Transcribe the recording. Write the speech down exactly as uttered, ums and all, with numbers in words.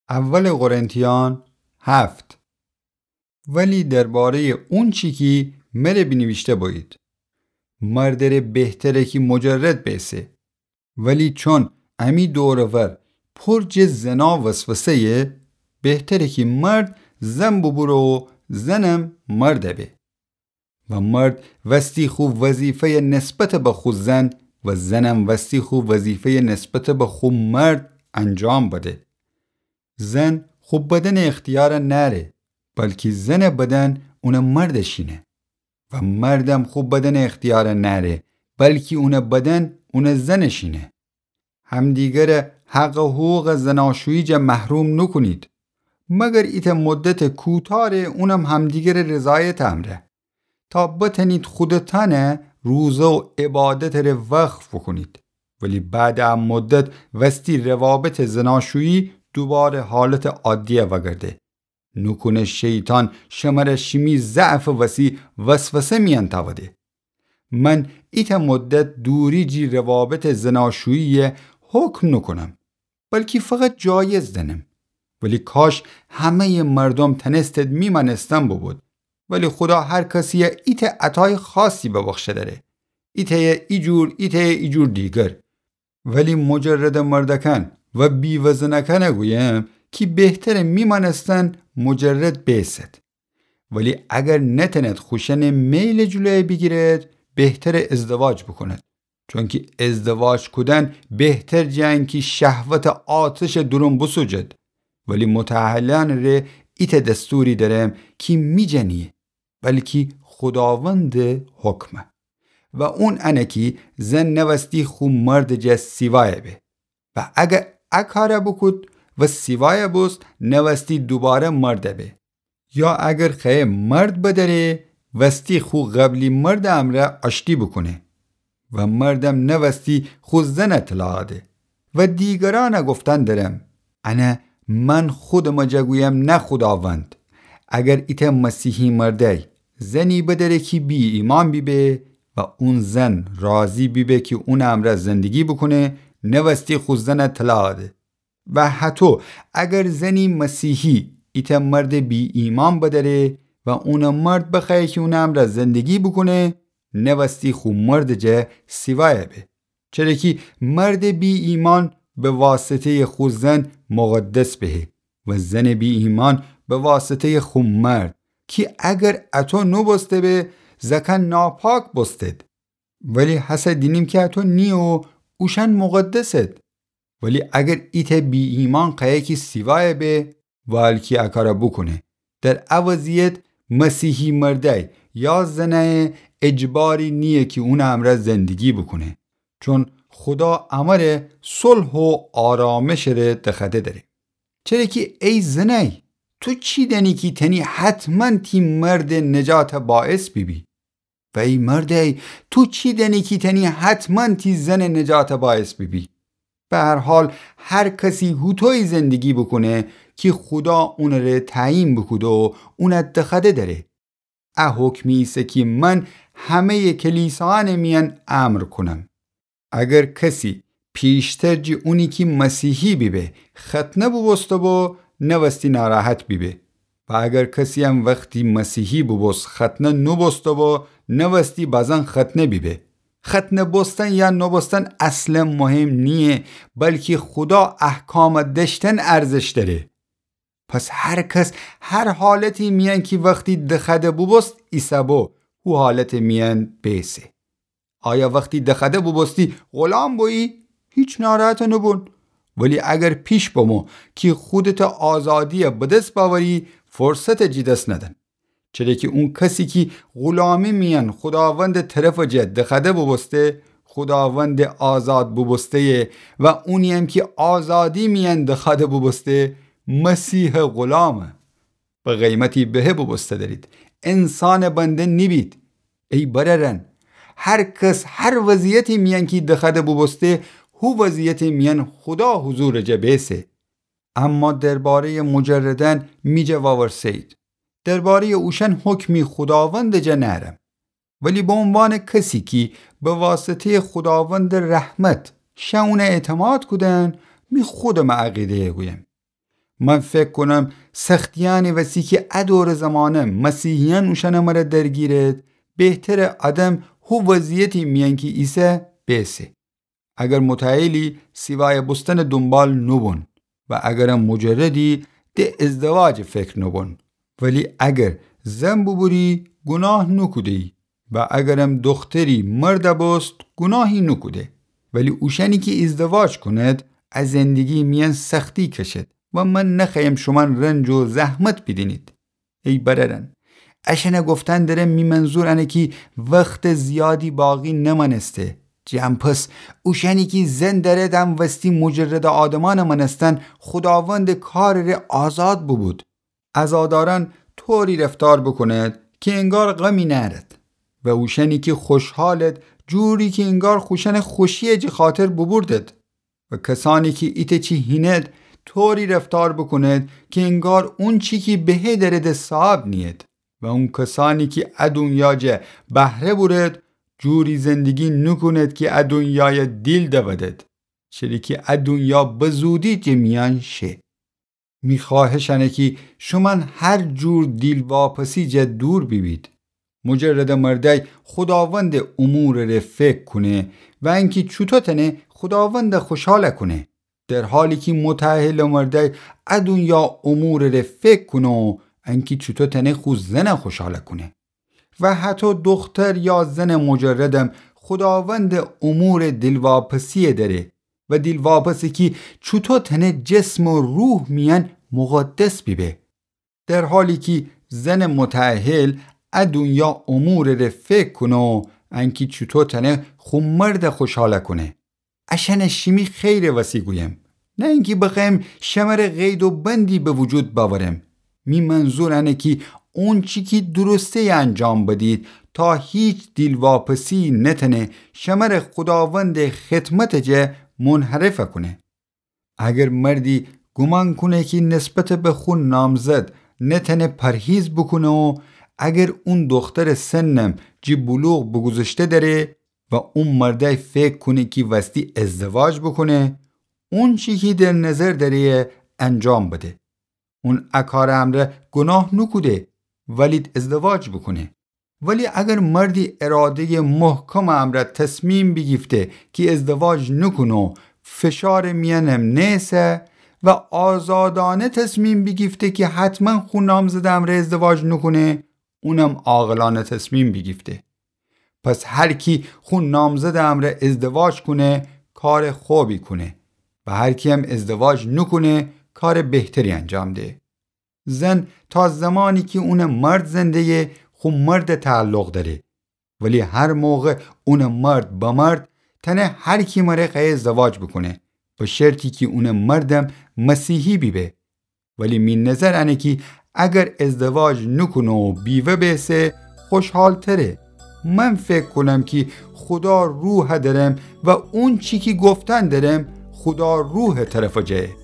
اول قرنتیان هفت. ولی درباره‌یٚ اونچی کی مره بینیویشته بویید، مردٚ ره بهتره کی مجرد بیسه. ولی چون امی دور و ور پر جٚه زنا وسوسه‌یه، بهتره کی مرد زن بوبوره و زنم مرد به. و مرد وستی خو وظیفه‌یه نسبتٚ به خو زن و زنم وستی خو وظیفه‌یه نسبتٚ به خو مرد انجام بده. زن خو بدنٚ اختیار نأره، بلکی زنٚ بدن اونٚ مردٚ شینه. و مردم خو بدنٚ اختیار نأره، بلکی اونٚ بدن اونٚ زنٚ شینه. همدیگره حق و حقوقٚ زناشویی جا محروم نوکونید، مگر ایتأ مدتٚ کوتاه ره، اونم همدیگرٚ رضایتٚ امرأ، تا بتأنید خودتأنه روزه و عبادتٚ ره وقف بوکونید. ولی بعدٚ ا مدت وستی روابطٚ زناشویی دوباره حالتٚ عادیه وأگرده. نوکونه شیطان شمره شیمی ضعفٚ وسی وسوسه میأن تأوده. من ایتأ مدت دوری جی روابطٚ زناشویی حکم نوکونم، بلکی فقط جایز دأنم. ولی کاش همه‌یٚ مردم تأنستد می مأنستن بوبود. ولی خودا هر کسیه ایتأ عطایٚ خاصی ببخشه دأره، ایتأیه ایجور، ایتأیه ایجور دیگر. ولی مجردٚ مردأکأن و بیوه زنأکأنه گویم کی بهتره می مأنستن مجرد بیسد. ولی اگر نتأند خوشأنٚ میلٚ جلویه بیگیرد، بهتره ازدواج بوکوند. چونکی ازدواج کودن بهتر جٚه انکی شهوتٚ آتشٚ دورون بوسوجد. ولی متأهلأنٚ ره ایتأ دستوری دأرم کی می جا نییه، بلکی خوداوندٚ حکمه. و اون انه کی زن نوستی خو مردٚ جا سیوایه به. و اگر ا کاره بوکود و سیوایه بوست، نوستی دوباره مرد به. یا اگر خوأیه مرد بدأره، وستی خو قبلی مردٚ امرأ آشتی بوکونه. و مردم نوستی خو زنه طلاق ده. و دیگرأنه گفتن دأرم، انه من خودمٚ جا گویم نه خوداوند، اگر ایتأ مسیحی مردأی زنی بدأره کی بی‌ایمأن بیبه و اون زن راضی بیبه کی اونٚ امرأ زندگی بوکونه، نوستی خو زنه طلاق ده. و هطو اگر زنی مسیحی ایتأ مردٚ بی‌ایمأن بدأره و اونٚ مرد بخوأیه کی اونٚ امرأ زندگی بوکونه، نوستی خو مردٚ جا سیوایه به. چره کی مردٚ بی‌ایمأن به واسطه‌یٚ خو زن مقدس بهه و زنٚ بی‌ایمأن به واسطه‌یٚ خو مرد، کی اگر اطو نوبوسته به، زأکأن ناپاک بوستد. ولی هسه دینیم کی اطو نییه و اوشأن مقدسد. ولی اگر ایتأ بی‌ایمأن خوأیه کی سیوایه به، والکی ا کاره بوکونه. در ا وضعیت مسیحی مردأی یا زنأی اجباری نییه کی اونٚ امرأ زندگی بوکونه، چون خودا امره صلح و آرامشٚ ره دخوأده دأره. چره کی ای زنأی، تو چی دأنی کی تأنی حتماً تی مردٚ نجاتٚ باعث بیبی؟ و ای مردأی، تو چی دأنی کی تأنی حتماً تی زنٚ نجاتٚ باعث بیبی؟ به هر حال، هر کسی هوطویی زندگی بوکونه کی خودا اونٚ ره تعیین بوکوده و اون دخوأده دأره. ا حکمی ایسه کی من همه‌یٚ کلیساأنٚ میأن امر کونم. اگر کسی پیشتر جٚه اونی کی مسیحی بیبه ختنه بوبوسته بو، نوستی ناراحت بیبه. و اگر کسی‌یم وختی مسیحی بوبوست ختنه نوبوسته بو، نوستی بازن ختنه بیبه. ختنه بوستن یا نوبوستن اصلاً مهم نییه، بلکی خودا احکامٚ دأشتن ارزش دأره. پس هر کس هر حالتی میأن کی وختی دخوأده بوبوست ایسه‌بو، هو حالتٚ میأن بیسه. آیا وختی دخوأده بوبوستی غلام بویی؟ هیچ ناراحت نوبون. ولی اگر پیش بمو کی خودتٚ آزادی بدس بأوری، فرصت جٚه دس ندن. چره کی اون کسی کی غلامی میأن خوداوندٚ طرفٚ جا دخوأده بوبوسته، خوداوندٚ آزاد بوبوسته‌یه و اونی‌یم کی آزادی میأن دخوأده بوبوسته، مسیحٚ غلامه. به قیمتی بهه بوبوسته دأرید. انسانٚ بنده نیبید. ای برأرأن، هر کس هر وضعیتی میأن کی دخوأده بوبوسته، هو وضعیتٚ میأن خودا حضورٚ جا بیسه. اما درباره‌یٚ مجردأن می جا واورسه‌یید. درباره‌یٚ اوشأن حکمی خوداوندٚ جا نأرم. ولی به عنوانٚ کسی کی به واسطه‌یٚ خوداوندٚ رحمت شه اون اعتماد کودن، می خودمٚ عقیده‌یه گویم. من فکر کونم سختیأنٚ وسی کی ا دورٚ زمانه مسیحیأن اوشأنٚ مره درگیرد، بهتره آدم هو وضعیتی میأن کی ایسه بیسه. اگر متأهلی سیوایه بوستنٚ دونبال نوبون و اگرم مجردی د ازدواجٚ فکر نوبون. ولی اگر زن بوبوری گوناه نوکوده‌یی و اگرم دوختری مرد بوست گوناهی نوکوده. ولی اوشأنی کی ازدواج کونید ا زندگی میأن سختی کشید و من نخوأیم شومأن رنج و زحمت بیدینید. ای برأرأن، اشأنه گفتن درم می منظور انه کی وختٚ زیادی باقی نمأنسته. جٚه ان پس اوشأنی کی زن دأرید ا وستی مجردٚ آدمأنٚ مأنستن خوداوندٚ کارٚ ره آزاد بوبود. عزادارأن طوری رفتار بوکونید کی انگار غمی نأرید و اوشأنی کی خوشحالید جوری کی انگار خوشأنٚ خوشییه جٚه خاطر بوبوردید. و کسأنی کی ایتأ چی هینید طوری رفتار بوکونید کی انگار اونچی کی بهه دأرید صاحب نیید. و اون کسأنی کی ا دونیا جا بهره بورید جوری زندگی نوکونید کی ا دونیایه دیل دودید، چری کی ا دونیا بزودی جٚه میأن شه. می خوأهش انه کی شومأن هر جور دیلواپسی جا دور بیبید. مجردٚ مردأی خوداوندٚ امورٚ ره فکر کونه و انکی چوطو تأنه خوداوند خوشحال کونه، در حالی کی متأهلٚ مردأی ا دونیا امورٚ ره فکر کونه و انکی چوطو تأنه خو زن خوشحال کونه. و هطو دوختر یا زنٚ مجردم خوداوندٚ امورٚ دیلواپسیی دأره و دیلواپسی کی چوطو تأنه جسم و روح میأن مقدس بیبه. در حالی کی زنٚ متأهل ا دونیا امورٚ ره فکر کونه و انکی چوطو تأنه خو مرد خوشحال کونه. اشأنه شیمی خیرٚ وسی گویم، نه انکی بخوأیم شمره قید و بندی به وجود بأورم. می منظور انه کی اونچی کی درسته‌یه انجام بدید تا هیچ دیلواپسیی نتأنه شمره خوداوندٚ خدمتٚ جا منحرف کونه. اگر مردی گومان کونه کی نسبت به خو نامزد نتأنه پرهیز بوکونه و اگر اون دوخترٚ سنم جٚه بلوغ بوگوذشته دأره و اون مردأی فکر کونه کی وستی ازدواج بوکونه، اونچی کی در نظر دأره‌یه انجام بده. اون ا کارٚ امرأ گوناه نوکوده، ولی ازدواج بوکونه. ولی اگر مردی اراده‌یٚ محکمٚ امرأ تصمیم بیگیفته کی ازدواج نوکونه و فشارٚ میأنم نئسه و آزادانه تصمیم بیگیفته کی حتما خو نامزدٚ امرأ ازدواج نوکونه، اونم عاقلانه تصمیم بیگیفته. پس هر کی خو نامزدٚ امرأ ازدواج کونه، کارٚ خوبی کونه و هر کییم ازدواج نوکونه، کارٚ بهتری انجام ده. زن تا زمانی کی اونٚ مرد زنده‌یه خو مرد تعلق دأره، ولی هر موقع اونٚ مرد بمرد تأنه هر کی مره خوأیه ازدواج بوکونه، به شرطی کی اونٚ مردم مسیحی بیبه. ولی می نظر انه کی اگر ازدواج نوکونه و بیوه بیسه خوشحالتره. من فکر کونم کی خودا روح دأرم و اونچی کی گفتن دأرم خودا روحٚ طرفٚ جایه.